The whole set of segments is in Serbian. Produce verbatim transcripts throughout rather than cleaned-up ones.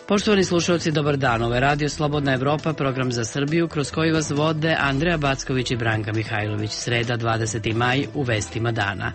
Poštovani slušalci, dobar dan. Ovo je Radio Slobodna Evropa, program za Srbiju, kroz koji vas vode Andreja Backović i Branka Mihajlović. Sreda, dvadeseti maj, u vestima dana.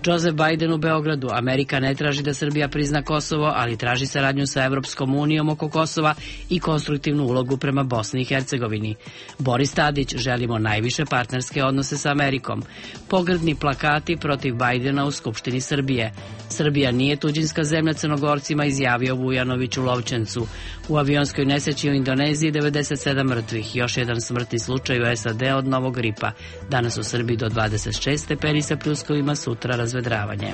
Joseph Biden u Beogradu. Amerika ne traži da Srbija prizna Kosovo, ali traži saradnju sa Evropskom unijom oko Kosova i konstruktivnu ulogu prema Bosni i Hercegovini. Boris Tadić, želimo najviše partnerske odnose sa Amerikom. Pogrdni plakati protiv Bajdena u Skupštini Srbije. Srbija nije tuđinska zemlja Crnogorcima, izjavio Vujanović u Lovćencu. U avionskoj nesreći u Indoneziji devedeset sedam mrtvih, još jedan smrtni slučaj u S A D od novog gripa. Danas u Srbiji do dvadeset šest stepeni sa pljuskovima, sutra razvedravanje.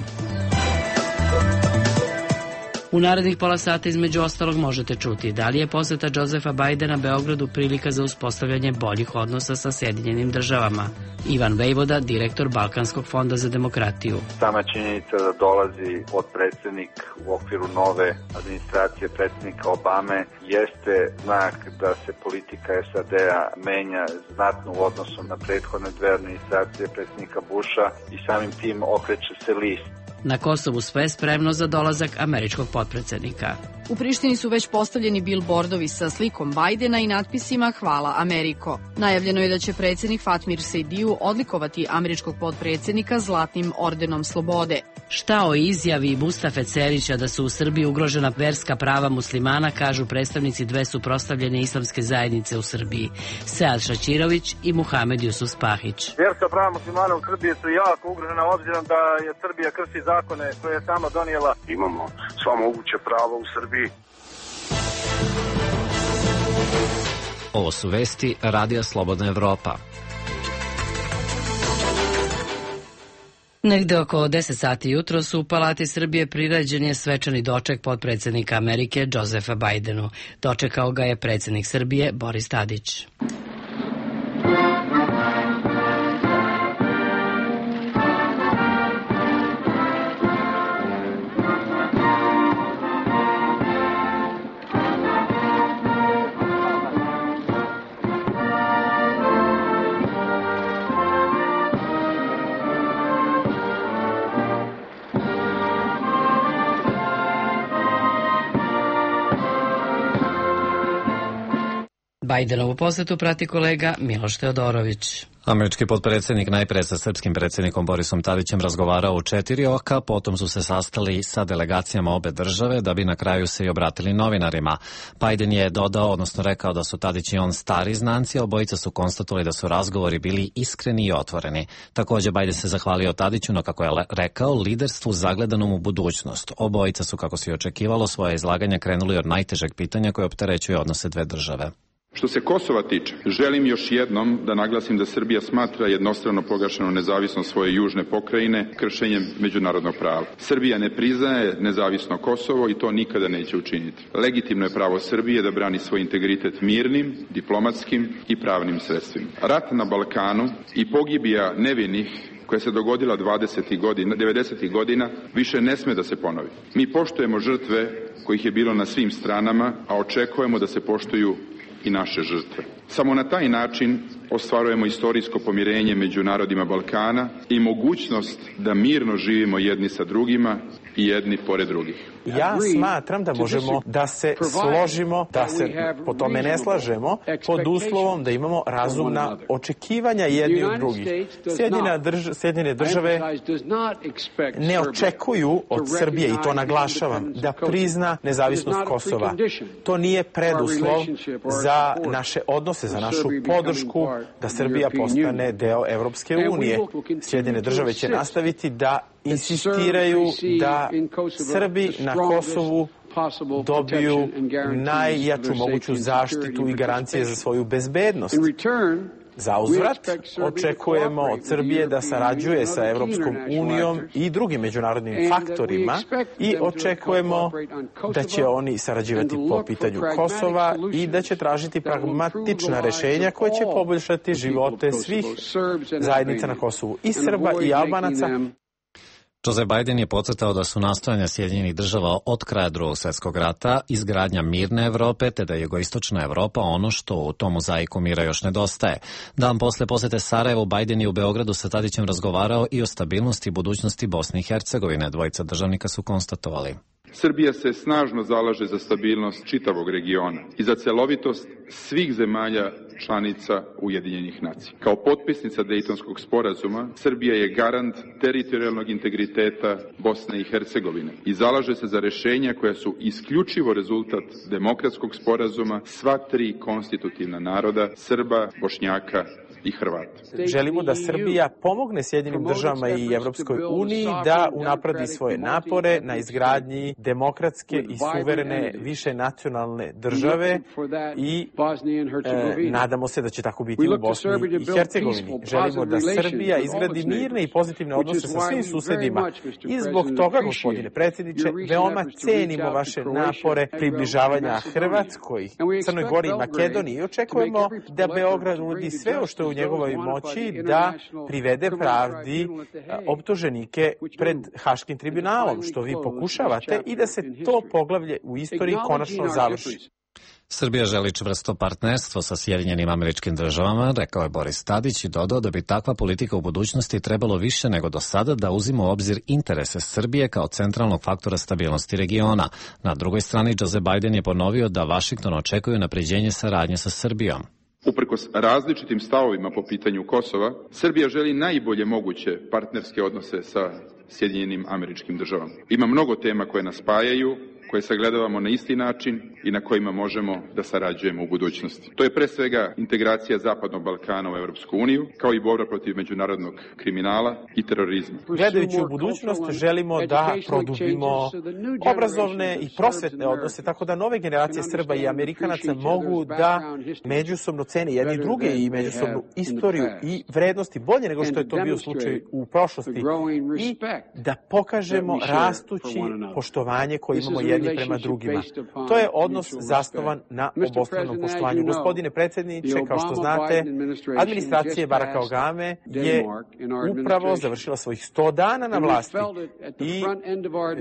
U narednih pola sata između ostalog možete čuti da li je poseta Josepha Bidena Beogradu prilika za uspostavljanje boljih odnosa sa Sjedinjenim državama. Ivan Vejvoda, direktor Balkanskog fonda za demokratiju. Sama činjenica da dolazi potpredsjednik u okviru nove administracije predsjednika Obame jeste znak da se politika S A D-a menja znatno u odnosu na prethodne dve administracije predsjednika Busha i samim tim okreće se list. Na Kosovu sve spremno za dolazak američkog potpredsjednika. U Prištini su već postavljeni bilbordovi sa slikom Bajdena i natpisima Hvala Ameriko. Najavljeno je da će predsjednik Fatmir Sejdiju odlikovati američkog potpredsjednika Zlatnim ordenom slobode. Šta o izjavi Mustafe Cerića da su u Srbiji ugrožena verska prava muslimana, kažu predstavnici dve suprotstavljene islamske zajednice u Srbiji, Sead Šaćirović i Muhamed Jusuf Spahić. Verska prava muslimana u Srbiji su jako ugrožena obzirom da je Srbija krši zakone koje je sama donijela. Imamo sva moguće prava u Srbiji. Ovo su vesti Radija Slobodna Evropa. Negde oko deset sati jutros u Palati Srbije priređen je svečani doček potpredsjednika Amerike Josepha Bidenu. Dočekao ga je predsjednik Srbije Boris Tadić. Bajdenovu posetu prati kolega Miloš Teodorović. Američki potpredsjednik najpre sa srpskim predsjednikom Borisom Tadićem razgovarao u četiri oka, potom su se sastali sa delegacijama obe države da bi na kraju se i obratili novinarima. Biden je dodao, odnosno rekao da su Tadić i on stari znanci, a obojica su konstatovali da su razgovori bili iskreni i otvoreni. Također Biden se zahvalio Tadiću na, kako je rekao, liderstvu zagledanom u budućnost. Obojica su, kako se i očekivalo, svoje izlaganje krenuli od najtežeg pitanja koje opterećuje odnose dve države. Što se Kosova tiče, želim još jednom da naglasim da Srbija smatra jednostrano proglašenu nezavisnost svoje južne pokrajine kršenjem međunarodnog prava. Srbija ne priznaje nezavisno Kosovo i to nikada neće učiniti. Legitimno je pravo Srbije da brani svoj integritet mirnim, diplomatskim i pravnim sredstvima. Rat na Balkanu i pogibija nevinih koja se dogodila dvadesetih godina, devedesetih godina, više ne sme da se ponovi. Mi poštujemo žrtve kojih je bilo na svim stranama, a očekujemo da se poštuju i naše žrtve. Samo na taj način ostvarujemo istorijsko pomirenje među narodima Balkana i mogućnost da mirno živimo jedni sa drugima i jedni pored drugih. Ja smatram da možemo da se složimo, da se po tome ne slažemo, pod uslovom da imamo razumna očekivanja jedni od drugih. Sjedinjene države ne očekuju od Srbije, i to naglašavam, da prizna nezavisnost Kosova. To nije preduslov za naše odnose, za našu podršku da Srbija postane deo Evropske unije. Sjedinjene države će nastaviti da insistiraju da Srbi na Kosovu dobiju najjaču moguću zaštitu i garancije za svoju bezbednost. Za uzvrat očekujemo od Srbije da sarađuje sa Evropskom unijom i drugim međunarodnim faktorima i očekujemo da će oni sarađivati po pitanju Kosova i da će tražiti pragmatična rešenja koje će poboljšati živote svih zajednica na Kosovu, i Srba i Albanaca. Joe Biden je podcrtao da su nastojanja Sjedinjenih država od kraja Drugog svjetskog rata izgradnja mirne Evrope, te da je jugoistočna Evropa ono što u tom mozaiku mira još nedostaje. Dan posle posete Sarajevu, Biden je u Beogradu sa Tadićem razgovarao i o stabilnosti i budućnosti Bosne i Hercegovine. Dvojica državnika su konstatovali: Srbija se snažno zalaže za stabilnost čitavog regiona i za celovitost svih zemalja članica Ujedinjenih nacija. Kao potpisnica Dejtonskog sporazuma, Srbija je garant teritorijalnog integriteta Bosne i Hercegovine i zalaže se za rešenja koja su isključivo rezultat demokratskog sporazuma sva tri konstitutivna naroda, Srba, Bošnjaka i Hrvata. Želimo da Srbija pomogne Sjedinjenim državama i Evropskoj uniji da unapredi svoje napore na izgradnji demokratske i suverene više nacionalne države i e, nadamo se da će tako biti u Bosni i Hercegovini. Želimo da Srbija izgradi mirne i pozitivne odnose sa svim susedima i zbog toga, gospodine predsjedniče, veoma cenimo vaše napore približavanja Hrvatskoj, Crnoj Gori i Makedoniji i očekujemo da Beograd uradi sve o što je u njegovoj moći da privede pravdi optuženike pred Haškim tribunalom, što vi pokušavate, i da se to poglavlje u istoriji konačno završi. Srbija želi čvrsto partnerstvo sa Sjedinjenim Američkim Državama, rekao je Boris Tadić i dodao da bi takva politika u budućnosti trebalo više nego do sada da uzima u obzir interese Srbije kao centralnog faktora stabilnosti regiona. Na drugoj strani, Joe Biden je ponovio da Vašington očekuje unapređenje saradnje sa Srbijom. Uprkos različitim stavovima po pitanju Kosova, Srbija želi najbolje moguće partnerske odnose sa Sjedinjenim Američkim Državama. Ima mnogo tema koje nas spajaju, koje sagledavamo na isti način i na kojima možemo da sarađujemo u budućnosti. To je pre svega integracija Zapadnog Balkana u Evropsku uniju, kao i borba protiv međunarodnog kriminala i terorizma. Gledajući u budućnost, želimo da produbimo obrazovne i prosvetne odnose, tako da nove generacije Srba i Amerikanaca mogu da međusobno cene jedni druge i međusobnu istoriju i vrednosti bolje nego što je to bio slučaj u prošlosti i da pokažemo rastući poštovanje koje imamo jedni prema drugima. To je odnos zasnovan na obostranom poštovanju. Gospodine predsjedniče, kao što znate, administracija Baracka Obame je upravo završila svojih sto dana na vlasti i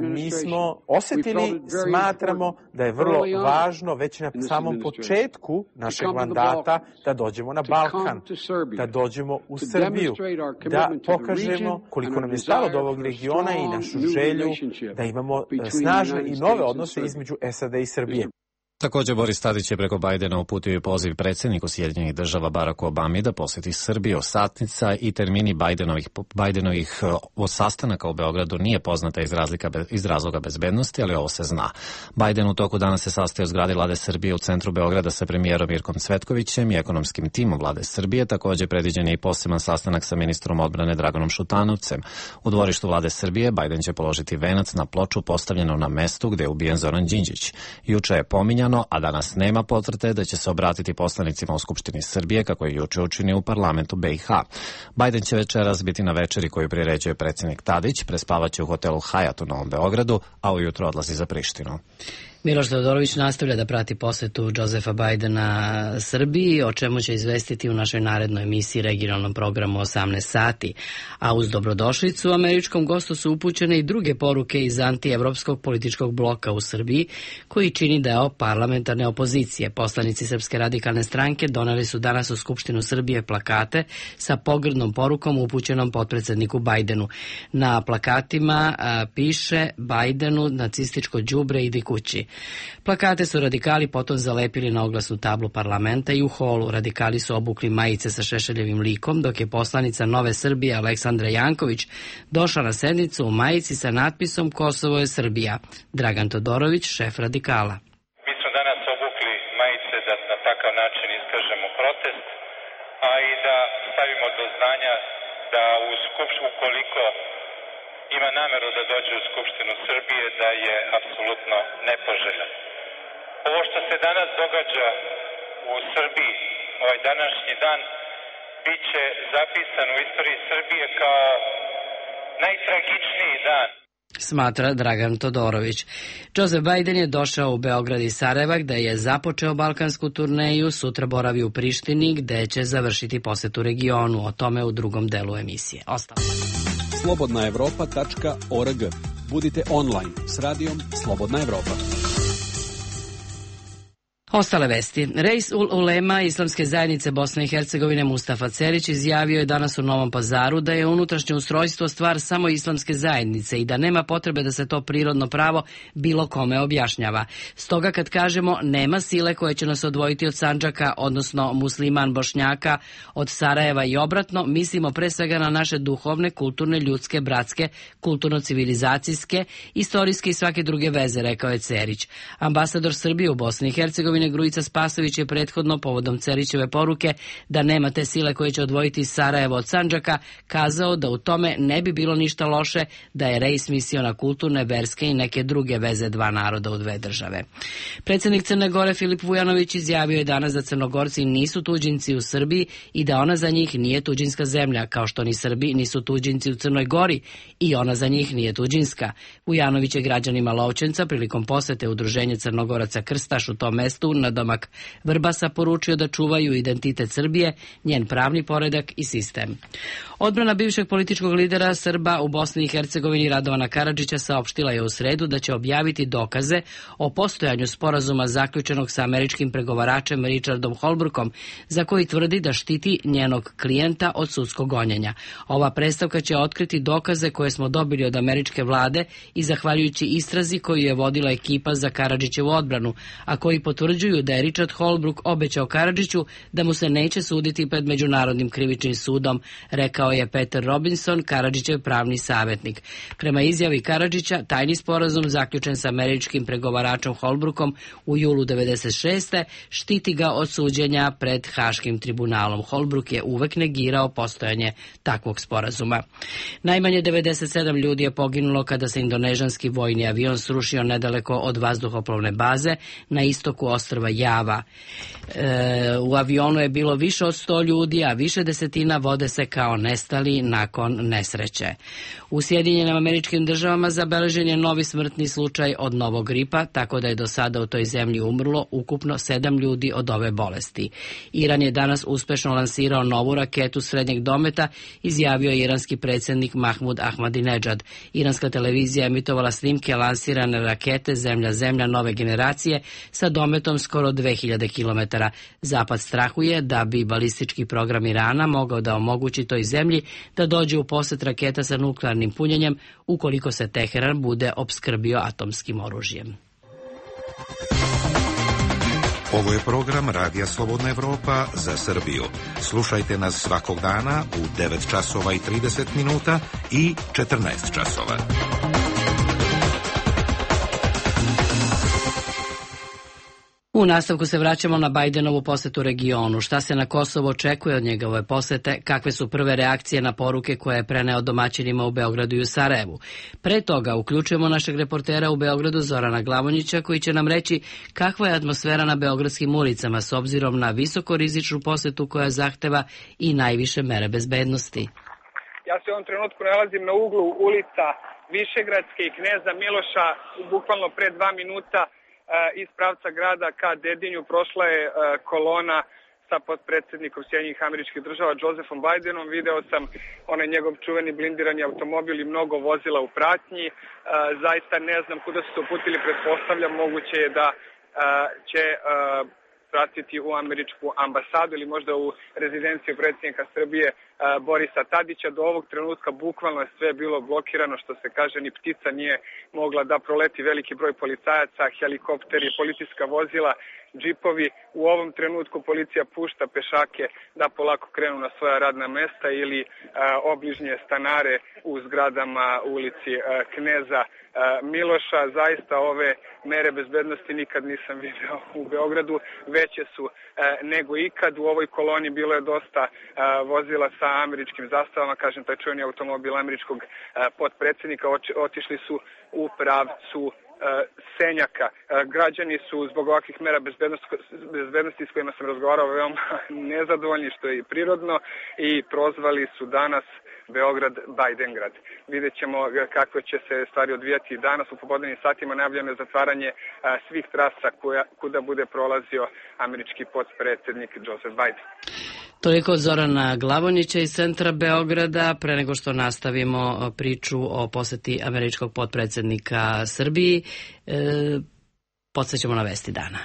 mi smo osetili, smatramo da je vrlo važno već na samom početku našeg mandata da dođemo na Balkan, da dođemo u Srbiju, da pokažemo koliko nam je stalo do ovog regiona i našu želju da imamo snažne i nove odnose između S A D i Srbije. Također, Boris Tadić je preko Bajdena uputio poziv predsjedniku Sjedinjenih država Baracku Obami da posjeti Srbiju. Satnica i termini Bajdenovih, Bajdenovih sastanaka u Beogradu nije poznata iz, razlika, iz razloga bezbednosti, ali ovo se zna. Bajden u toku dana se sastaje u zgradi Vlade Srbije u centru Beograda sa premijerom Mirkom Cvetkovićem i ekonomskim timom Vlade Srbije. Također predviđen je i poseban sastanak sa ministrom odbrane Draganom Šutanovcem. U dvorištu Vlade Srbije Bajden će položiti venac na ploču postavljenu na mestu gde je ubijen Zoran Đinđić. Juče je pominjano, a danas nema potvrde da će se obratiti poslanicima u Skupštini Srbije, kako je juče učinio u parlamentu B i H. Bajden će večeras biti na večeri koju priređuje predsjednik Tadić, prespavaće u hotelu Hajat u Novom Beogradu, a ujutro odlazi za Prištinu. Miloš Teodorović nastavlja da prati posetu Josepha Bajdena Srbiji, o čemu će izvestiti u našoj narednoj emisiji regionalnom programu osamnaest sati. A uz dobrodošlicu američkom gostu su upućene i druge poruke iz antievropskog političkog bloka u Srbiji, koji čini deo parlamentarne opozicije. Poslanici Srpske radikalne stranke doneli su danas u Skupštinu Srbije plakate sa pogrdnom porukom upućenom potpredsedniku Bajdenu. Na plakatima a, piše Bajdenu nacističko đubre idi kući. Plakate su radikali potom zalepili na oglasnu tablu parlamenta i u holu. Radikali su obukli majice sa Šešeljevim likom, dok je poslanica Nove Srbije Aleksandra Janković došla na sednicu u majici sa natpisom Kosovo je Srbija. Dragan Todorović, šef radikala. Mi smo danas obukli majice da na takav način iskažemo protest, a i da stavimo do znanja da u skupštinu, ukoliko ima nameru da dođe u Skupštinu Srbije, da je apsolutno nepoželjan. Ovo što se danas događa u Srbiji, ovaj današnji dan, bit će zapisan u istoriji Srbije kao najtragičniji dan. Smatra Dragan Todorović. Joseph Biden je došao u Beograd i Sarajeva, gde je započeo balkansku turneju, sutra boravi u Prištini, gde će završiti posetu regionu. O tome u drugom delu emisije. Ostalo. slobodna evropa tačka org. Budite online s radijom Slobodna Evropa. Ostale vesti. Reis ul Ulema Islamske zajednice Bosne i Hercegovine Mustafa Cerić izjavio je danas u Novom Pazaru da je unutrašnje ustrojstvo stvar samo Islamske zajednice i da nema potrebe da se to prirodno pravo bilo kome objašnjava. Stoga kad kažemo nema sile koje će nas odvojiti od Sandžaka, odnosno musliman Bošnjaka od Sarajeva i obratno, mislimo pre svega na naše duhovne, kulturne, ljudske, bratske, kulturno-civilizacijske, istorijske i svake druge veze, rekao je Cerić. Ambasador Srbije u Bosni i Hercegovini Grujica Spasović je prethodno povodom Cerićeve poruke da nema te sile koje će odvojiti Sarajevo od Sandžaka kazao da u tome ne bi bilo ništa loše da je Reis mislio na kulturne, verske i neke druge veze dva naroda u dve države. Predsjednik Crne Gore Filip Vujanović izjavio je danas da Crnogorci nisu tuđinci u Srbiji i da ona za njih nije tuđinska zemlja, kao što ni Srbi nisu tuđinci u Crnoj Gori i ona za njih nije tuđinska. Vujanović je građanima Lovćenca prilikom posete Udruženja Crnogoraca Krstaš u tom mestu na domak Vrbasa poručio da čuvaju identitet Srbije, njen pravni poredak i sistem. Odbrana bivšeg političkog lidera Srba u Bosni i Hercegovini Radovana Karadžića saopštila je u sredu da će objaviti dokaze o postojanju sporazuma zaključenog sa američkim pregovaračem Richardom Holbrookom, za koji tvrdi da štiti njenog klijenta od sudskog gonjenja. Ova predstavka će otkriti dokaze koje smo dobili od američke vlade i zahvaljujući istrazi koju je vodila ekipa za Karadžićevu odbranu, a koji potvrđuju da je Richard Holbrooke obećao Karadžiću da mu se neće suditi pred Međunarodnim krivičnim sudom, rekao je Peter Robinson, Karadžićev pravni savjetnik. Prema izjavi Karadžića, tajni sporazum zaključen sa američkim pregovaračom Holbrookom u julu devedeset šeste štiti ga od suđenja pred Haškim tribunalom. Holbrooke je uvek negirao postojanje takvog sporazuma. Najmanje devedeset sedam ljudi je poginulo kada se indonežanski vojni avion srušio nedaleko od vazduhoplovne baze na istoku ostrva Java. E, u avionu je bilo više od sto ljudi, a više desetina vode se kao nestali nakon nesreće. U Sjedinjenim Američkim Državama zabeležen je novi smrtni slučaj od novog gripa, tako da je do sada u toj zemlji umrlo ukupno sedam ljudi od ove bolesti. Iran je danas uspešno lansirao novu raketu srednjeg dometa, izjavio je iranski predsjednik Mahmud Ahmadinejad. Iranska televizija emitovala snimke lansirane rakete Zemlja-Zemlja nove generacije sa dometom skoro dve hiljade kilometara. Zapad strahuje da bi balistički program Irana mogao da omogući toj zemlji da dođe u posjet raketa sa nuklearnim punjenjem ukoliko se Teheran bude opskrbio atomskim oružjem. Ovo je program Radija Slobodna Evropa za Srbiju. Slušajte nas svakog dana u devet časova i trideset minuta i četrnaest časova. U nastavku se vraćamo na Bajdenovu posetu regionu. Šta se na Kosovo očekuje od njegove posete, kakve su prve reakcije na poruke koje je preneo domaćinima u Beogradu i u Sarajevu. Pre toga uključujemo našeg reportera u Beogradu Zorana Glavonjića koji će nam reći kakva je atmosfera na beogradskim ulicama s obzirom na visokorizičnu posetu koja zahteva i najviše mere bezbednosti. Ja se u ovom trenutku nalazim na uglu ulica Višegradske i Kneza Miloša, bukvalno pre dva minuta iz pravca grada ka Dedinju prošla je kolona sa potpredsjednikom Sjedinjenih Američkih Država Josephom Bidenom. Video sam onaj njegov čuveni blindirani automobil i mnogo vozila u pratnji. Zaista ne znam kuda su se uputili, pretpostavljam moguće je da će pratiti u američku ambasadu ili možda u rezidenciju predsjednika Srbije Borisa Tadića. Do ovog trenutka bukvalno je sve bilo blokirano, što se kaže, ni ptica nije mogla da proleti, veliki broj policajaca, helikopteri, policijska vozila, džipovi. U ovom trenutku policija pušta pešake da polako krenu na svoja radna mesta ili a, obližnje stanare u zgradama ulici a, Kneza a, Miloša. Zaista ove mere bezbednosti nikad nisam video u Beogradu, veće su a, nego ikad. U ovoj koloni bilo je dosta a, vozila sa američkim zastavama, kažem, taj čuveni automobil američkog a, potpredsjednika, oči, otišli su u pravcu Senjaka. Građani su zbog ovakvih mera bezbednosti, bezbednosti s kojima sam razgovarao veoma nezadovoljni, što je i prirodno, i prozvali su danas Beograd Bajdengrad. Vidjet ćemo kako će se stvari odvijati danas. U popodnevnim satima najavljeno je zatvaranje svih trasa koja, kuda bude prolazio američki potpredsjednik Joseph Biden. Toliko od Zorana Glavonjića iz centra Beograda. Pre nego što nastavimo priču o poseti američkog potpredsednika Srbiji, e, podsjećamo na vesti dana.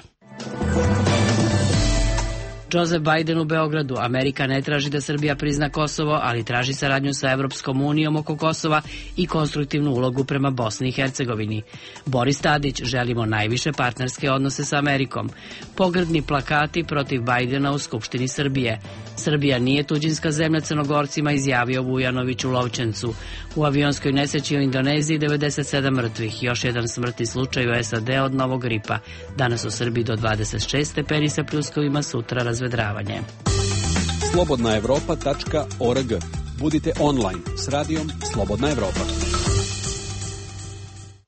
Joseph Biden u Beogradu. Amerika ne traži da Srbija prizna Kosovo, ali traži saradnju sa Evropskom unijom oko Kosova i konstruktivnu ulogu prema Bosni i Hercegovini. Boris Tadić, želimo najviše partnerske odnose sa Amerikom. Pogrdni plakati protiv Bajdena u Skupštini Srbije. Srbija nije tuđinska zemlja Crnogorcima, izjavio Vujanović u Lovćencu. U avionskoj nesreći u Indoneziji devedeset sedam mrtvih, još jedan smrtni slučaj u S A D od novog gripa. Danas u Srbiji do dvadeset šest stepeni sa pljuskovima, sutra razvedravanje. slobodna evropa tačka org. Budite online s radijom Slobodna Evropa.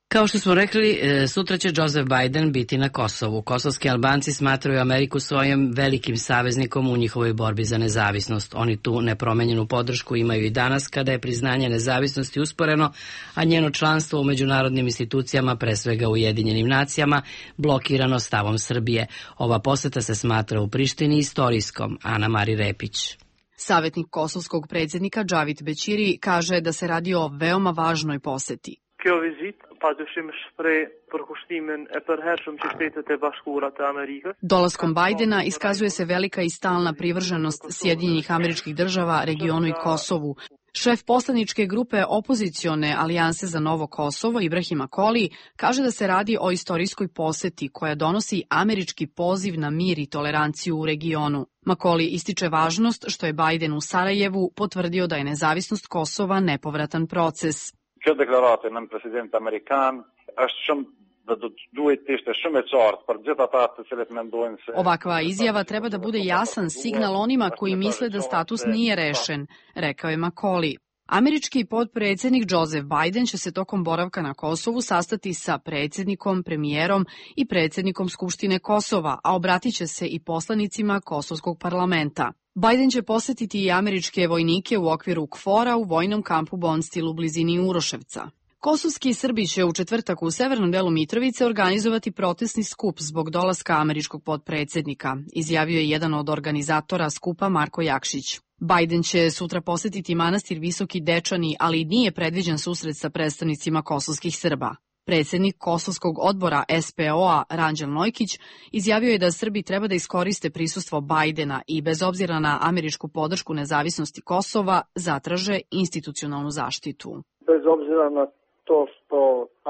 Kao što smo rekli, sutra će Joseph Biden biti na Kosovu. Kosovski Albanci smatraju Ameriku svojim velikim saveznikom u njihovoj borbi za nezavisnost. Oni tu nepromenjenu podršku imaju i danas kada je priznanje nezavisnosti usporeno, a njeno članstvo u međunarodnim institucijama, pre svega u Ujedinjenim nacijama, blokirano stavom Srbije. Ova poseta se smatra u Prištini istorijskom. Ana Mari Repić. Savetnik kosovskog predsjednika Džavit Bećiri kaže da se radi o veoma važnoj poseti. Kjo vizit padyshim shpreh përkushtimin e përhershëm që Shtetet e Bashkuara të Amerikës. Dolaskom Bajdena iskazuje se velika i stalna privrženost Sjedinjenih Američkih Država regionu i Kosovu. Šef poslaničke grupe opozicione Alijanse za Novo Kosovo, Ibrahim Akoli, kaže da se radi o istorijskoj poseti koja donosi američki poziv na mir i toleranciju u regionu. Makoli ističe važnost što je Bajden u Sarajevu potvrdio da je nezavisnost Kosova nepovratan proces. Kjo deklaratë në president amerikan është shumë dhe do të duhet të ishte shumë e qartë për gjithë ata të cilët mendojnë se... Ovakva izjava treba da bude jasan signal onima koji misle da status nije rešen, rekao je Makoli. Američki potpredsjednik Joseph Biden će se tokom boravka na Kosovu sastati sa predsjednikom, premijerom i predsjednikom Skupštine Kosova, a obratit će se i poslanicima Kosovskog parlamenta. Biden će posetiti i američke vojnike u okviru K F O R-a u vojnom kampu Bonstil u blizini Uroševca. Kosovski Srbi će u četvrtak u severnom delu Mitrovice organizovati protestni skup zbog dolaska američkog potpredsjednika, izjavio je jedan od organizatora skupa Marko Jakšić. Biden će sutra posetiti manastir Visoki Dečani, ali nije predviđen susret sa predstavnicima kosovskih Srba. Predsjednik Kosovskog odbora S P O-a Ranđel Nojkić izjavio je da Srbi treba da iskoriste prisustvo Bajdena i bez obzira na američku podršku nezavisnosti Kosova zatraže institucionalnu zaštitu. Bez obzira na to što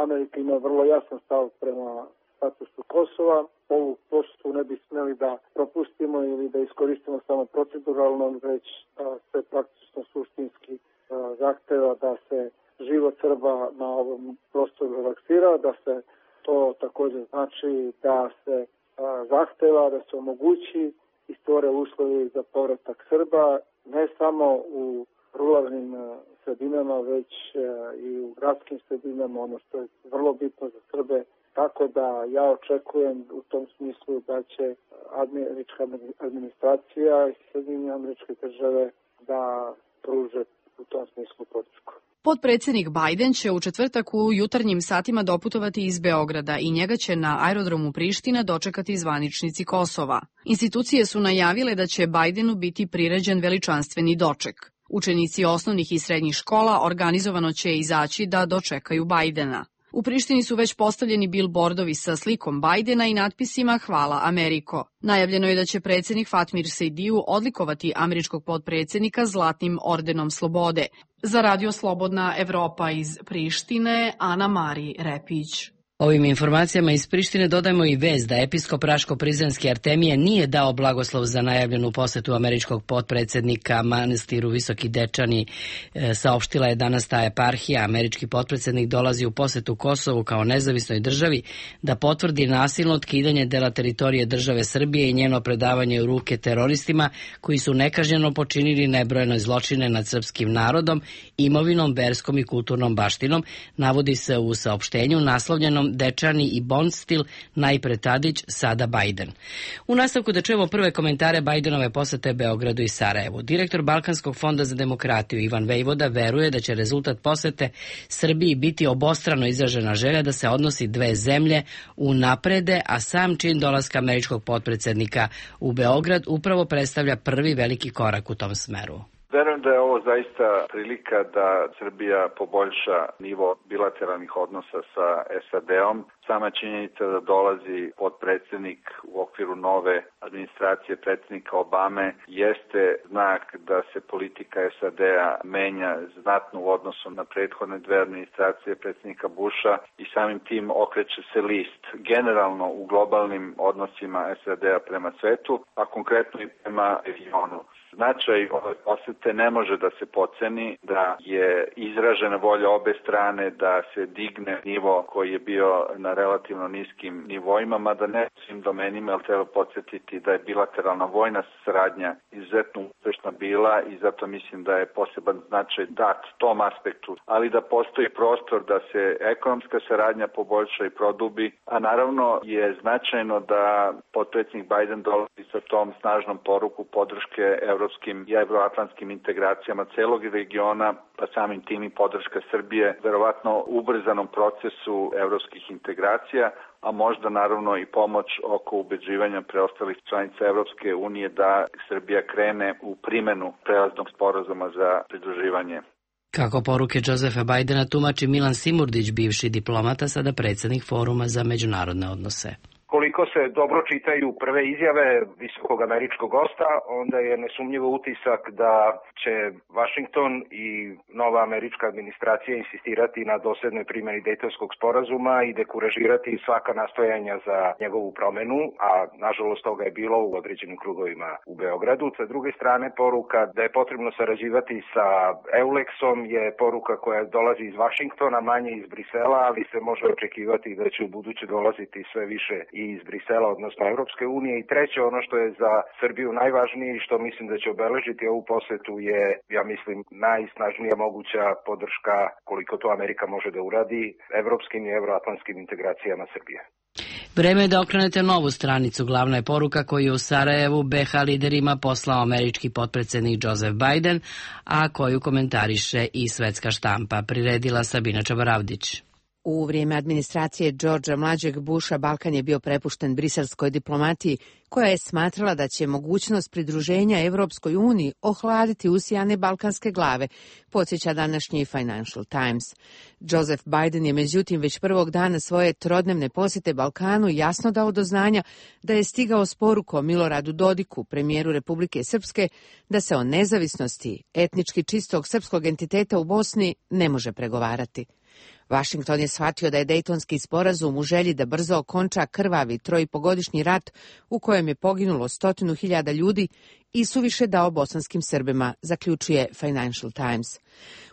Amerika ima vrlo jasan stav prema statusu Kosova, ovu posetu ne bi smeli da propustimo ili da iskoristimo samo proceduralno, već se praktično suštinski zahteva da se život Srba na ovom prostoru relaksira, da se to također znači da se zahteva da se omogući i stvore uslovi za povratak Srba, ne samo u ruralnim sredinama, već i u gradskim sredinama, ono što je vrlo bitno za Srbe. Tako da ja očekujem u tom smislu da će američka administracija i Sjedinjene Američke Države da pruže u tom smislu podršku. Potpredsjednik Biden će u četvrtak u jutarnjim satima doputovati iz Beograda i njega će na aerodromu Priština dočekati zvaničnici Kosova. Institucije su najavile da će Bajdenu biti priređen veličanstveni doček. Učenici osnovnih i srednjih škola organizovano će izaći da dočekaju Bajdena. U Prištini su već postavljeni bilbordovi sa slikom Bajdena i natpisima Hvala Ameriko. Najavljeno je da će predsjednik Fatmir Sejdiju odlikovati američkog potpredsjednika Zlatnim ordenom slobode. Za Radio Slobodna Evropa iz Prištine, Ana Mari Repić. Ovim informacijama iz Prištine dodajemo i vez da episkop Raško-Prizrenski Artemije nije dao blagoslov za najavljenu posetu američkog potpredsjednika manastiru Visoki Dečani. E, saopštila je danas ta eparhija. Američki potpredsjednik dolazi u posetu Kosovu kao nezavisnoj državi da potvrdi nasilno otkidanje dela teritorije države Srbije i njeno predavanje u ruke teroristima koji su nekažnjeno počinili nebrojeno zločine nad srpskim narodom, imovinom, verskom i kulturnom baštinom, navodi se u saopštenju naslovljenom Dečani i Bonstil, najpre Tadić, sada Biden. U nastavku da čujemo prve komentare Bidenove posete Beogradu i Sarajevu. Direktor Balkanskog fonda za demokratiju Ivan Vejvoda veruje da će rezultat posete Srbiji biti obostrano izražena želja da se odnosi dve zemlje unaprede, a sam čin dolaska američkog potpredsednika u Beograd upravo predstavlja prvi veliki korak u tom smeru. Verujem da je ovo zaista prilika da Srbija poboljša nivo bilateralnih odnosa sa S A D-om. Sama činjenica da dolazi potpredsednik u okviru nove administracije predsjednika Obame jeste znak da se politika S A D-a menja znatno u odnosu na prethodne dve administracije predsjednika Busha i samim tim okreće se list generalno u globalnim odnosima S A D-a prema svetu, a konkretno i prema regionu. Značaj ove posete ne može da se podceni, da je izražena volja obe strane da se digne nivo koji je bio na relativno niskim nivoima, mada ne svim domenima, ali treba podsjetiti da je bilateralna vojna saradnja izuzetno uspešna bila i zato mislim da je poseban značaj dat tom aspektu, ali da postoji prostor da se ekonomska saradnja poboljša i produbi, a naravno je značajno da potpredsjednik Biden dolazi sa tom snažnom poruku podrške evropskim i evroatlantskim integracijama celog regiona, pa samim tim i podrška Srbije, verovatno ubrzanom procesu evropskih integracija, a možda naravno i pomoć oko ubeđivanja preostalih članica Evropske unije da Srbija krene u primenu prelaznog sporazuma za pridruživanje. Kako poruke Josefa Bidena tumači Milan Simurdić, bivši diplomata, sada predsjednik Foruma za međunarodne odnose. Koliko se dobro čitaju prve izjave visokog američkog gosta, onda je nesumnjivo utisak da će Vašington i nova američka administracija insistirati na doslednoj primjeni Dejtonskog sporazuma i dekuražirati svaka nastojanja za njegovu promenu, a nažalost toga je bilo u određenim krugovima u Beogradu. Sa druge strane, poruka da je potrebno sarađivati sa EULEX-om je poruka koja dolazi iz Vašingtona, manje iz Brisela, ali se može očekivati da će u buduće dolaziti sve više i iz Brisela, odnosno Evropske unije. I treće, ono što je za Srbiju najvažnije i što mislim da će obeležiti ovu posetu je, ja mislim, najsnažnija moguća podrška, koliko to Amerika može da uradi, evropskim i evroatlantskim integracijama Srbije. Vreme je da okrenete novu stranicu. Glavna je poruka koju je u Sarajevu B H liderima poslao američki potpredsednik Joseph Biden, a koju komentariše i svetska štampa. Priredila Sabina Čabaravdić. U vrijeme administracije Georgea mlađeg Busha Balkan je bio prepušten briselskoj diplomatiji, koja je smatrala da će mogućnost pridruženja Evropskoj uniji ohladiti usijane balkanske glave, podsjeća današnji Financial Times. Joseph Biden je međutim već prvog dana svoje trodnevne posjete Balkanu jasno dao do znanja da je stigao s porukom Miloradu Dodiku, premijeru Republike Srpske, da se o nezavisnosti etnički čistog srpskog entiteta u Bosni ne može pregovarati. Vašington je shvatio da je Dejtonski sporazum u želji da brzo okonča krvavi trojipogodišnji rat u kojem je poginulo stotinu hiljada ljudi i suviše dao bosanskim Srbima, zaključuje Financial Times.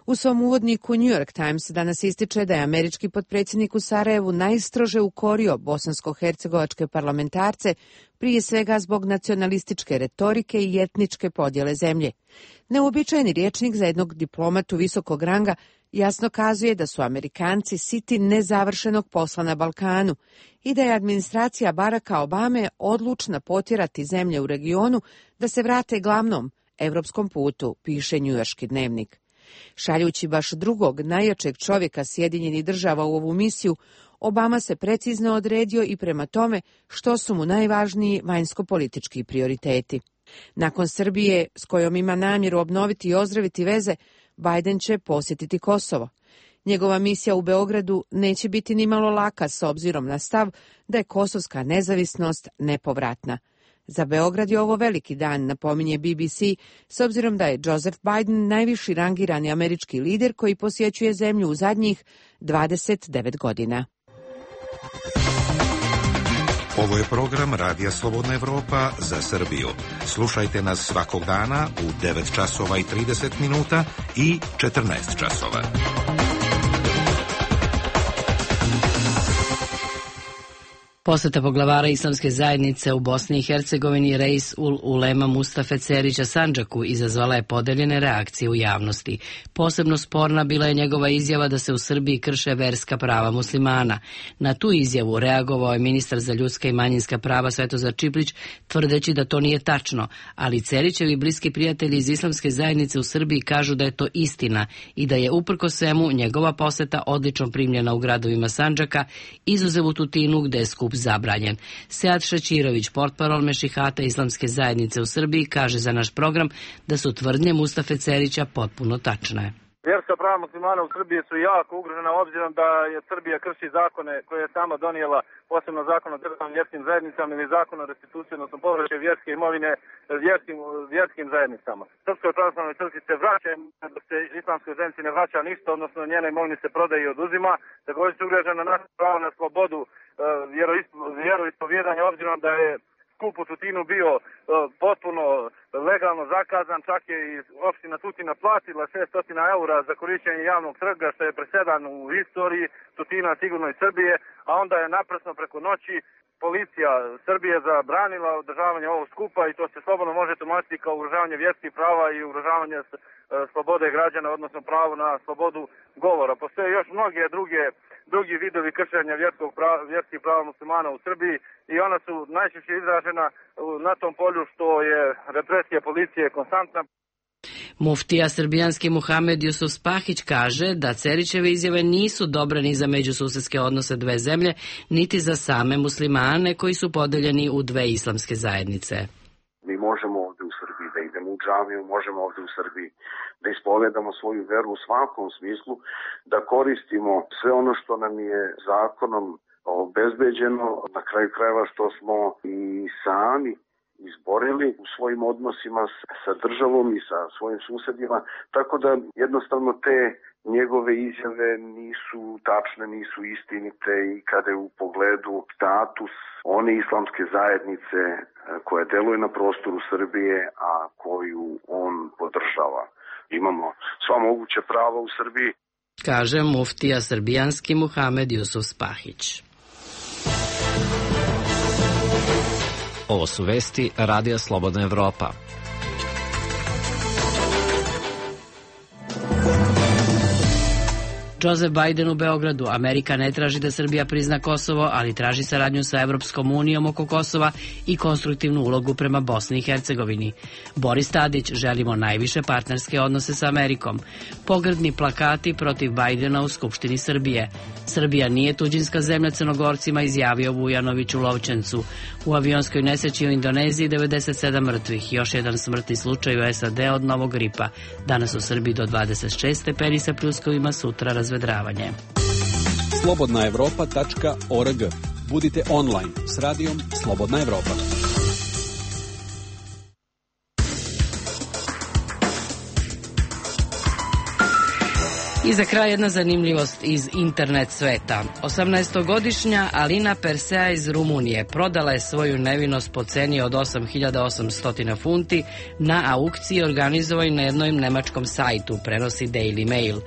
U svom uvodniku New York Times danas ističe da je američki potpredsjednik u Sarajevu najstrože ukorio bosansko-hercegovačke parlamentarce, prije svega zbog nacionalističke retorike i etničke podjele zemlje. Neuobičajeni rječnik za jednog diplomatu visokog ranga jasno kazuje da su Amerikanci siti nezavršenog posla na Balkanu i da je administracija Baracka Obame odlučna potjerati zemlje u regionu da se vrate glavnom evropskom putu, piše njujorški dnevnik. Šaljući baš drugog najjačeg čovjeka Sjedinjenih država u ovu misiju, Obama se precizno odredio i prema tome što su mu najvažniji vanjsko-politički prioriteti. Nakon Srbije, s kojom ima namjeru obnoviti i ozdraviti veze, Biden će posjetiti Kosovo. Njegova misija u Beogradu neće biti nimalo laka s obzirom na stav da je kosovska nezavisnost nepovratna. Za Beograd je ovo veliki dan, napominje B B C, s obzirom da je Joseph Biden najviši rangirani američki lider koji posjećuje zemlju u zadnjih dvadeset devet godina. Ovo je program Radija Slobodna Evropa za Srbiju. Slušajte nas svakog dana u devet časova i trideset minuta i četrnaest časova. Poseta poglavara islamske zajednice u Bosni i Hercegovini Reis ul Ulema Mustafe Cerića Sandžaku izazvala je podeljene reakcije u javnosti. Posebno sporna bila je njegova izjava da se u Srbiji krše verska prava muslimana. Na tu izjavu reagovao je ministar za ljudska i manjinska prava Svetozar Čiplić, tvrdeći da to nije tačno, ali Cerićevi bliski prijatelji iz islamske zajednice u Srbiji kažu da je to istina i da je uprkos svemu njegova poseta odlično primljena u gradovima Sandžaka, izuzev u Tutinu gde je skup zabranjen. Sead Šećirović, portparol Mešihata islamske zajednice u Srbiji, kaže za naš program da su tvrdnje Mustafe Cerića potpuno tačne. Vjerska prava muslimana u Srbiji su jako ugrožena obzirom da je Srbija krši zakone koje je sama donijela, posebno zakon o državnim vjerskim zajednicama ili zakon o restituciji, odnosno povraćaju vjerske imovine vjerskim, vjerskim zajednicama. Srpskoj pravoslavnoj crkvi se vraća, dok se islamskoj zajednici ne vraća ništa, odnosno njena imovina se prodaje i oduzima. Također su ugrožena naša pravo na slobodu vjeroispovjedanja, obzirom da je skup u Tutinu bio uh, potpuno legalno zakazan, čak je i opština Tutina platila šesto eura za korišćenje javnog trga, što je presedan u istoriji Tutina, sigurno i Srbije, a onda je naprasno preko noći policija Srbije zabranila održavanje ovog skupa i to se slobodno može tumačiti kao ugrožavanje vjerskih prava i ugrožavanje uh, slobode građana, odnosno pravo na slobodu govora. Postoje još mnoge druge drugi vidovi kršenja vjerskog prava, vjerskih prava muslimana u Srbiji i ona su najčešće izražena na tom polju što je represija policije konstantna. Muftija srbijanski Muhamed Jusuf Spahić kaže da Cerićeve izjave nisu dobre ni za međususedske odnose dve zemlje, niti za same muslimane koji su podeljeni u dve islamske zajednice. Mi možemo ovde u Srbiji da idemo u džamiju, možemo ovde u Srbiji da ispovedamo svoju veru u svakom smislu, da koristimo sve ono što nam je zakonom obezbeđeno, na kraju krajeva što smo i sami izborili u svojim odnosima sa državom i sa svojim susedima, tako da jednostavno te njegove izjave nisu tačne, nisu istinite i kada je u pogledu status one islamske zajednice koja deluje na prostoru Srbije, a koju on podržava. Imamo sva moguća prava u Srbiji. Kaže muftija srbijanski Muhamed Jusuf Spahić. Ovo su vesti Radija Slobodna Evropa. Joseph Biden u Beogradu. Amerika ne traži da Srbija prizna Kosovo, ali traži saradnju sa Evropskom unijom oko Kosova i konstruktivnu ulogu prema Bosni i Hercegovini. Boris Tadić, želimo najviše partnerske odnose sa Amerikom. Pogrdni plakati protiv Bajdena u Skupštini Srbije. Srbija nije tuđinska zemlja Crnogorcima, izjavio Vujanović u Lovćencu. U avionskoj nesreći u Indoneziji devedeset sedam mrtvih, još jedan smrtni slučaj u S A D od novog gripa. Danas u Srbiji do dvadeset šest stepeni sa pljuskovima, sutra razvedravanje. slobodna evropa tačka org. Budite online s radijom Slobodna Evropa. I za kraj jedna zanimljivost iz internet sveta. osamnaestogodišnja Alina Persea iz Rumunije prodala je svoju nevinost po ceni od osam hiljada osamsto funti na aukciji organizovanoj na jednom nemačkom sajtu, prenosi Daily Mail.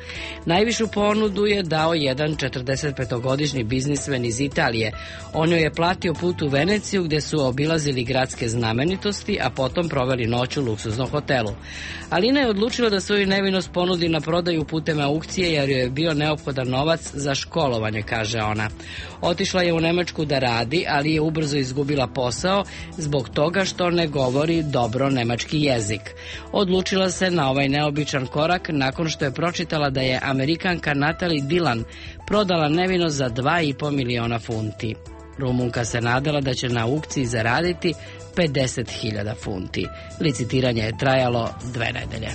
Najvišu ponudu je dao jedan četrdesetpetogodišnji biznismen iz Italije. On joj je platio put u Veneciju gde su obilazili gradske znamenitosti, a potom proveli noć u luksuznom hotelu. Alina je odlučila da svoju nevinost ponudi na prodaju putem aukcije jer joj je bio neophodan novac za školovanje, kaže ona. Otišla je u Nemačku da radi, ali je ubrzo izgubila posao zbog toga što ne govori dobro nemački jezik. Odlučila se na ovaj neobičan korak nakon što je pročitala da je Amerikanka Natalie Dillon prodala nevinost za dva i po miliona funti. Rumunka se nadala da će na aukciji zaraditi pedeset hiljada funti. Licitiranje je trajalo dve nedelje.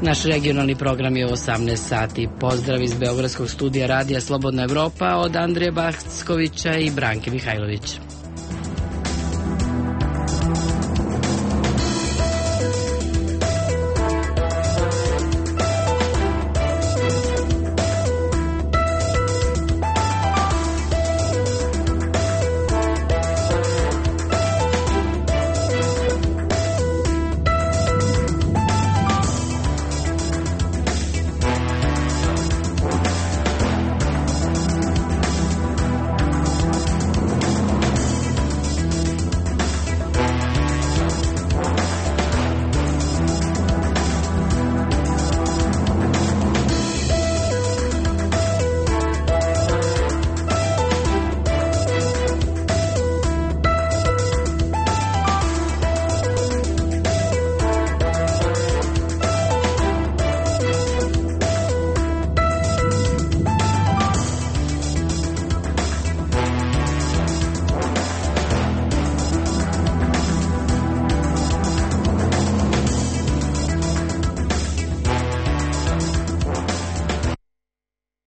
Naš regionalni program je u osamnaest sati. Pozdrav iz Beogradskog studija Radija Slobodna Evropa od Andrije Backovića i Branke Mihajlović.